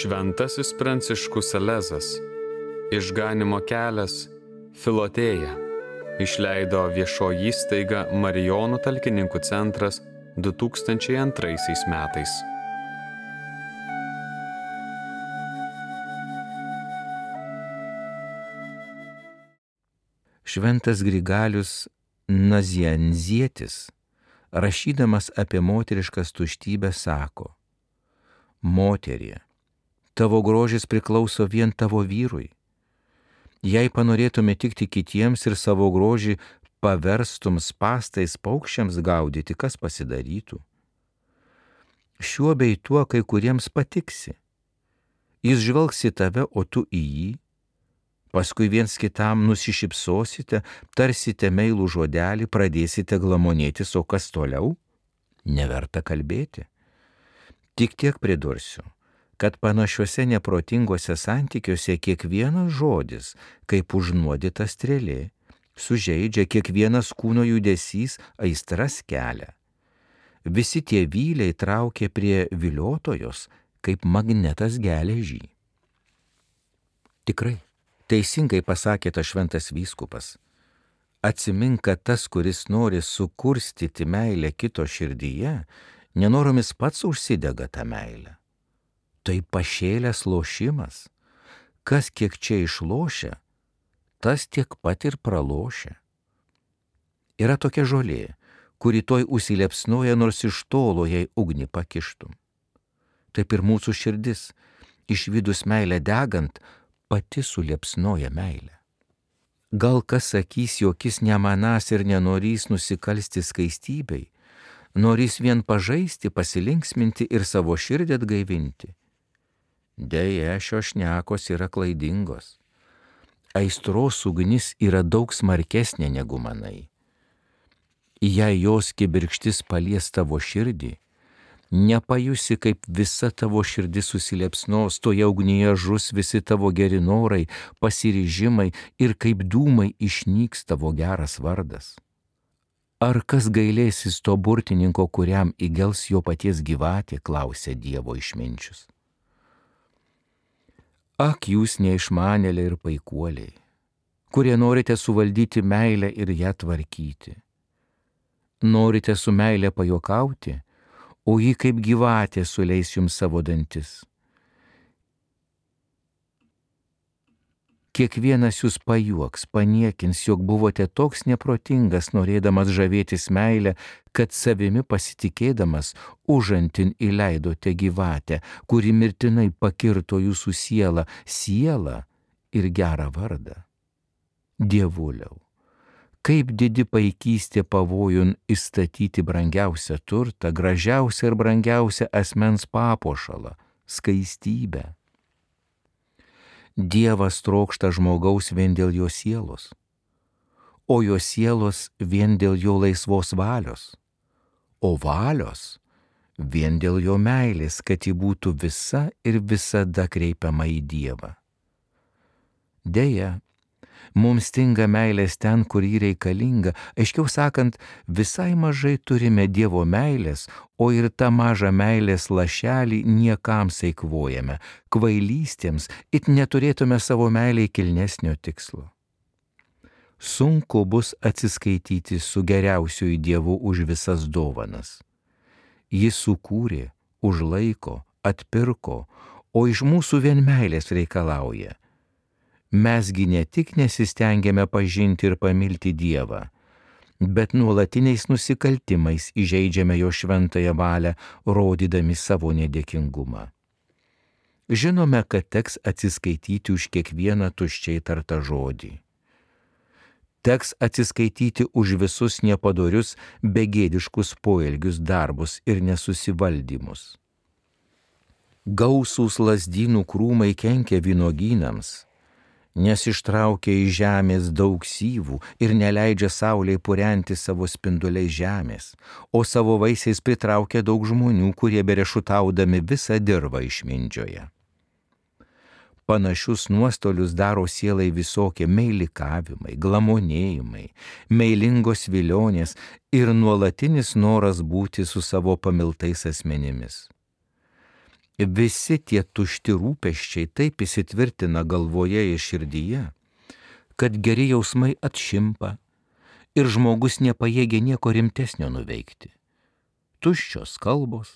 Šventasis Pranciškus Salezas, Išganymo kelias, Filotėja, išleido viešoji įstaiga Marijonų talkininkų centras 2002 metais. Šventas Grigalius Nazianzietis, rašydamas apie moteriškas tuštybę, sako: Moterie, tavo grožis priklauso vien tavo vyrui. Jei panorėtume tikti kitiems ir savo grožį paverstum spastais paukščiams gaudyti, kas pasidarytų? Šiuo bei tuo kai kuriems patiksi. Jis žvelgs į tave, o tu į jį. Paskui viens kitam nusišypsosite, tarsite meilų žodelį, pradėsite glamonėtis, o kas toliau? Neverta kalbėti. Tik tiek pridursiu, kad panašiuose neprotinguose santykiuose kiekvienas žodis, kaip užnuodyta strėlė, sužeidžia, kiekvienas kūno judesys aistras kelia. Visi tie vyliai traukia prie viliotojos, kaip magnetas geležį. Tikrai, teisingai pasakė tas šventas vyskupas. Atsimink, kad tas, kuris nori sukurstyti meilę kito širdyje, nenoromis pats užsidega tą meilę. Tai pašėlęs lošimas. Kas kiek čia išlošia, tas tiek pat ir pralošia. Yra tokia žolė, kuri toj užsilepsnoja, nors iš tolo jai ugnį pakištum. Taip ir mūsų širdis, išvydus meilę degant, pati suliepsnoja meilę. Gal kas sakys, jog jis nemanąs ir nenorys nusikalsti skaistybei, norys vien pažaisti, pasilinksminti ir savo širdį atgaivinti. Deja, šios šnekos yra klaidingos. Aistros ugnis yra daug smarkesnė negu manai. Jei jos kibirkštis palies tavo širdį, nepajusi, kaip visa tavo širdis susiliepsnos, toje ugnyje žus visi tavo geri norai, pasiryžimai ir kaip dūmai išnyks tavo geras vardas. Ar kas gailėsis to burtininko, kuriam įgels jo paties gyvatė, klausė Dievo išminčius. Ak, jūs neišmanėliai ir paikuoliai, kurie norite suvaldyti meilę ir ją tvarkyti. Norite su meilė pajuokauti, o ji kaip gyvatė suleis jums savo dantis. Kiekvienas jūs pajuoks, paniekins, jog buvote toks neprotingas, norėdamas žavėtis meilę, kad savimi pasitikėdamas užantin įleidote gyvatę, kuri mirtinai pakirto jūsų sielą ir gerą vardą. Dievuliau, kaip didi paikystė pavojun įstatyti brangiausią turtą, gražiausią ir brangiausią asmens papuošalą, skaistybę. Dievas trokšta žmogaus vien dėl jo sielos, o jo sielos vien dėl jo laisvos valios, o valios vien dėl jo meilės, kad ji būtų visa ir visada kreipiama į Dievą. Deja, mums stinga meilės ten, kur ji reikalinga, aiškiau sakant, visai mažai turime Dievo meilės, o ir tą mažą meilės lašelį niekams eikvojame, kvailystėms, it neturėtume savo meilei kilnesnio tikslo. Sunku bus atsiskaityti su geriausiuoju Dievu už visas dovanas. Jis sukūrė, užlaiko, atpirko, o iš mūsų vien meilės reikalauja. Mesgi ne tik nesistengiame pažinti ir pamilti Dievą, bet nuolatiniais nusikaltimais įžeidžiame jo šventąją valią, rodydami savo nedėkingumą. Žinome, kad teks atsiskaityti už kiekvieną tuščiai tartą žodį. Teks atsiskaityti už visus nepadorius, begėdiškus poelgius, darbus ir nesusivaldymus. Gausūs lazdynų krūmai kenkia vynuogynams, nes ištraukia iš žemės daug syvų ir neleidžia saulei purenti savo spinduliais žemės, o savo vaisiais pritraukia daug žmonių, kurie berešutaudami visą dirvą išmindžioja. Panašius nuostolius daro sielai visokie meilikavimai, glamonėjimai, meilingos vilionės ir nuolatinis noras būti su savo pamiltais asmenimis. Visi tie tušti rūpesčiai taip įsitvirtina galvoje ir širdyje, kad geri jausmai atšimpa ir žmogus nepajėgia nieko rimtesnio nuveikti. Tuščios kalbos,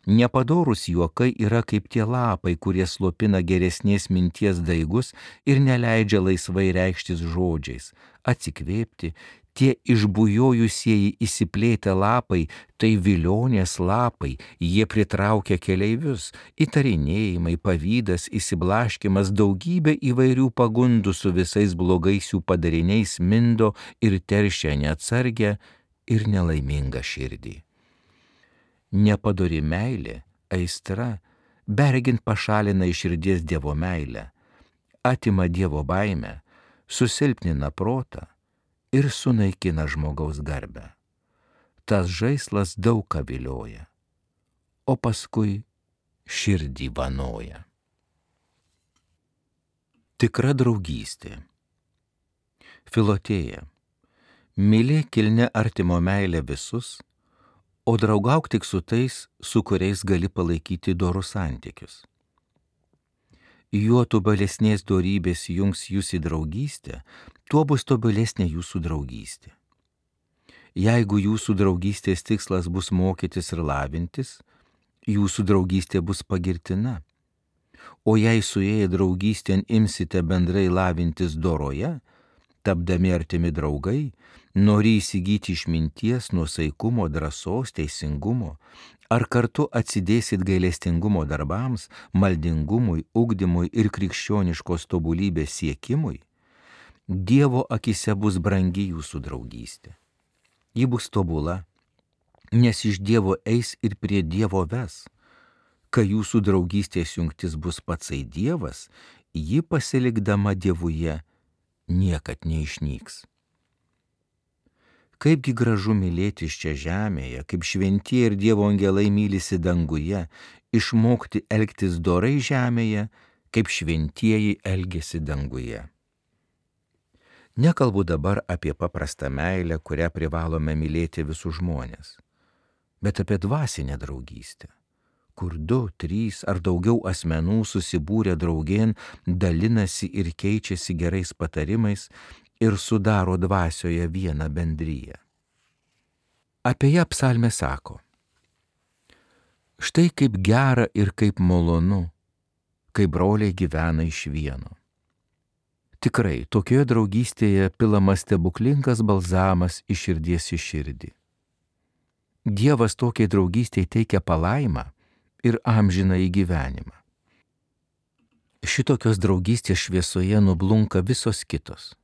nepadorūs juokai yra kaip tie lapai, kurie slopina geresnės minties daigus ir neleidžia laisvai reikštis žodžiais, atsikvėpti. Tie išbujojusieji įsiplėtę lapai, tai vilionės lapai, jie pritraukia keleivius, įtarinėjimai, pavydas, įsiblaškimas, daugybė įvairių pagundų su visais blogais jų padariniais mindo ir teršia neatsargią ir nelaimingą širdį. Nepadori meilė, aistra, bergint pašalina iš širdies Dievo meilę, atima Dievo baimę, susilpnina protą ir sunaikina žmogaus garbę. Tas žaislas daug ką vilioja, o paskui širdį vanoja. Tikra draugystė. Filotėja. Mylėk kilnia artimo meilę visus, o draugauk tik su tais, su kuriais gali palaikyti dorus santykius. Juo tobulesnės dorybės jungs jūs į draugystę, tuo bus tobulesnė jūsų draugystė. Jeigu jūsų draugystės tikslas bus mokytis ir lavintis, jūsų draugystė bus pagirtina. O jei suėję draugystėn imsite bendrai lavintis doroje, tapdami artimi draugai, nori įsigyti išminties, nuosaikumo, drąsos, teisingumo, ar kartu atsidėsit gailestingumo darbams, maldingumui, ugdymui ir krikščioniškos tobulybės siekimui, Dievo akise bus brangi jūsų draugystė. Ji bus tobula, nes iš Dievo eis ir prie Dievo ves. Kai jūsų draugystės jungtis bus patsai Dievas, ji pasilikdama Dievuje niekad neišnyks. Kaipgi gražu mylėtis čia žemėje, kaip šventieji ir Dievo angelai mylisi danguje, išmokti elgtis dorai žemėje, kaip šventieji elgiasi danguje. Nekalbu dabar apie paprastą meilę, kurią privalome mylėti visus žmonės, bet apie dvasinę draugystę, kur 2, 3 ar daugiau asmenų susibūrę draugėn dalinasi ir keičiasi gerais patarimais ir sudaro dvasioje vieną bendriją. Apie ją psalmė sako: štai kaip gera ir kaip malonu, kai broliai gyvena iš vieno. Tikrai, tokioje draugystėje pilamas stebuklingas balzamas iš širdies į širdį. Dievas tokiai draugystėje teikia palaimą ir amžiną į gyvenimą. Šitokios draugystės šviesoje nublunka visos kitos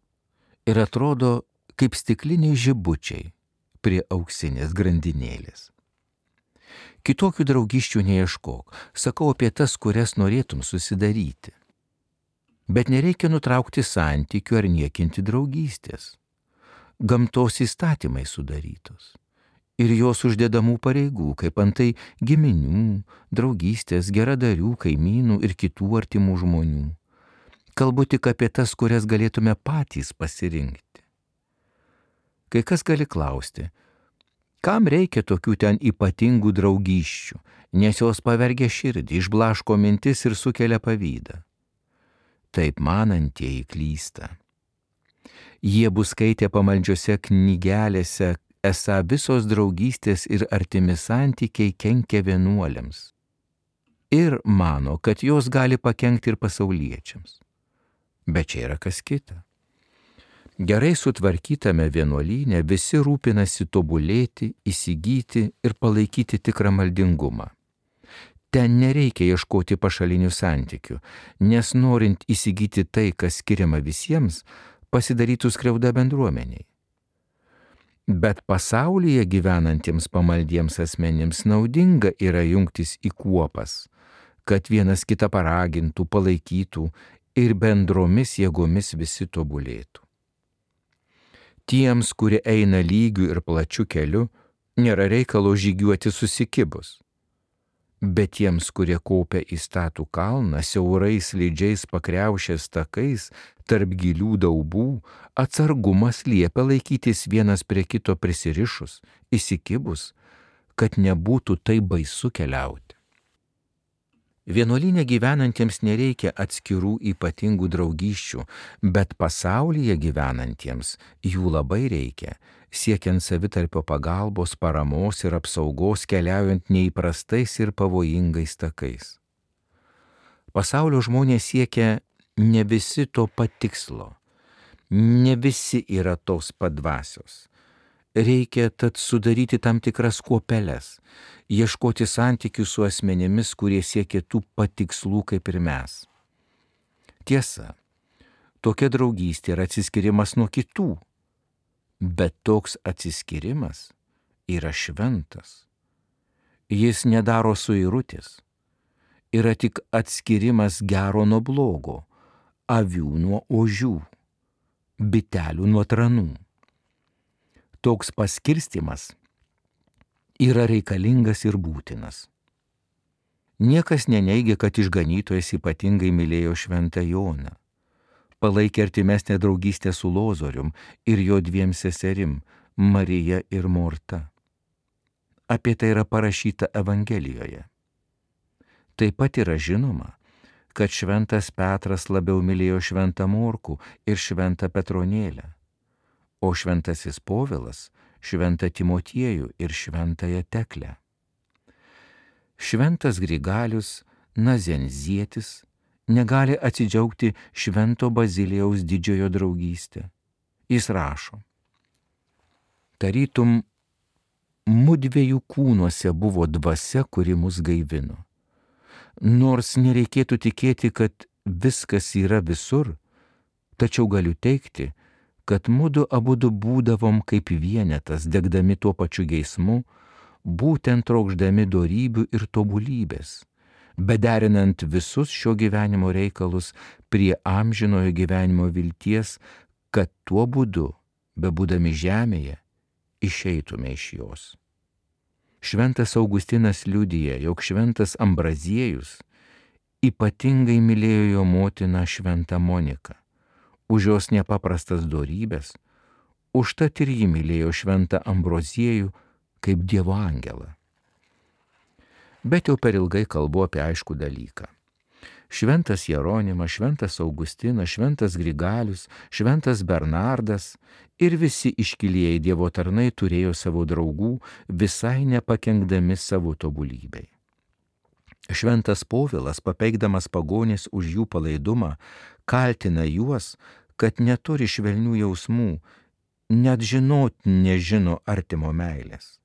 ir atrodo kaip stikliniai žibučiai prie auksinės grandinėlės. Kitokių draugysčių neieškok, sakau apie tas, kurias norėtum susidaryti. Bet nereikia nutraukti santykių ar niekinti draugystės. Gamtos įstatymai sudarytos ir jos uždedamų pareigų, kaip antai giminių, draugystės, geradarių, kaimynų ir kitų artimų žmonių. Kalbu tik apie tas, kurias galėtume patys pasirinkti. Kai kas gali klausti, kam reikia tokių ten ypatingų draugysčių, nes jos pavergia širdį, išblaško mintis ir sukelia pavydą. Taip manantieji klysta. Jie bus skaitę pamaldžiose knygelėse, esą visos draugystės ir artimi santykiai kenkia vienuoliams. Ir mano, kad jos gali pakenkti ir pasauliečiams. Bet čia yra kas kita. Gerai sutvarkytame vienuolyne visi rūpinasi tobulėti, įsigyti ir palaikyti tikrą maldingumą. Ten nereikia ieškoti pašalinių santykių, nes norint įsigyti tai, kas skiriama visiems, pasidarytų skriauda bendruomeniai. Bet pasaulyje gyvenantiems pamaldiems asmenims naudinga yra jungtis į kuopas, kad vienas kitą paragintų, palaikytų ir bendromis jėgomis visi tobulėtų. Tiems, kurie eina lygiu ir plačiu keliu, nėra reikalo žygiuoti susikibus. Bet tiems, kurie kaupia į statų kalną, siaurais slidžiais pakriaušės takais, tarp gilių daubų, atsargumas liepia laikytis vienas prie kito prisirišus, įsikibus, kad nebūtų tai baisu keliauti. Vienuolyne gyvenantiems nereikia atskirų ypatingų draugysčių, bet pasaulyje gyvenantiems jų labai reikia, siekiant savitarpio pagalbos, paramos ir apsaugos keliaujant neįprastais ir pavojingais takais. Pasaulio žmonės siekia ne visi to pat tikslo, ne visi yra tos pat dvasios. Reikia tad sudaryti tam tikras kuopeles, ieškoti santykių su asmenimis, kurie siekia tų pat tikslų kaip ir mes. Tiesa, tokia draugystė yra atsiskyrimas nuo kitų, bet toks atsiskyrimas yra šventas. Jis nedaro suirutės, yra tik atskirimas gero nuo blogo, avių nuo ožių, bitelių nuo tranų. Toks paskirstimas yra reikalingas ir būtinas. Niekas neneigia, kad išganytojas ypatingai mylėjo šventą Joną, palaikė artimesnę draugystę su Lozorium ir jo dviem seserim, Marija ir Morta. Apie tai yra parašyta Evangelijoje. Taip pat yra žinoma, kad šventas Petras labiau mylėjo šventą Morkų ir šventą Petronėlę, o šventasis Povilas šventą Timotiejų ir šventąją Teklę. Šventas Grigalius Nazenzietis negali atsidžiaugti švento Bazilijaus didžiojo draugystę. Jis rašo: tarytum mudviejų kūnuose buvo dvasia, kuri mus gaivino. Nors nereikėtų tikėti, kad viskas yra visur, tačiau galiu teigti, kad mudu abudu būdavom kaip vienetas, degdami tuo pačiu geismu, būtent trokšdami dorybių ir tobulybės, bederinant visus šio gyvenimo reikalus prie amžinojo gyvenimo vilties, kad tuo būdu, bebūdami žemėje, išeitume iš jos. Šventas Augustinas liudija, jog šventas Ambraziejus ypatingai mylėjo jo motiną šventą Moniką, už jos nepaprastas dorybės, užtat ir jį mylėjo šventą Ambroziejų kaip Dievo angelą. Bet jau per ilgai kalbu apie aiškų dalyką. Šventas Jeronimas, šventas Augustinas, šventas Grigalius, šventas Bernardas ir visi iškilieji Dievo tarnai turėjo savo draugų, visai nepakenkdami savo tobulybei. Šventas Povilas, papeikdamas pagonis už jų palaidumą, kaltina juos, kad neturi švelnių jausmų, net žinot nežino artimo meilės.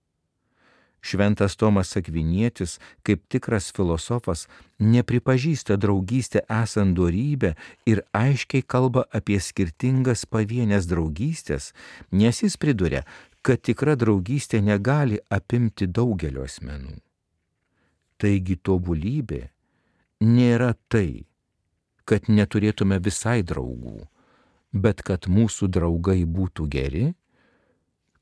Šventas Tomas Akvinietis, kaip tikras filosofas, nepripažįsta draugystę esant dorybę ir aiškiai kalba apie skirtingas pavienės draugystės, nes jis priduria, kad tikra draugystė negali apimti daugelio asmenų. Taigi tobulybė nėra tai, kad neturėtume visai draugų, bet kad mūsų draugai būtų geri,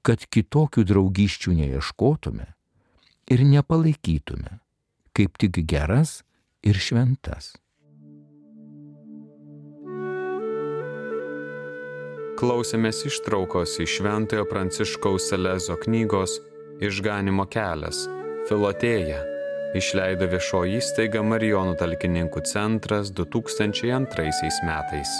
kad kitokių draugysčių neieškotume ir nepalaikytume, kaip tik geras ir šventas. Klausėmės ištraukos iš Šventojo Pranciškaus Salezo knygos Išganymo kelias – Filotėja, išleido viešoji įstaiga Marijonų talkininkų centras 2002 metais.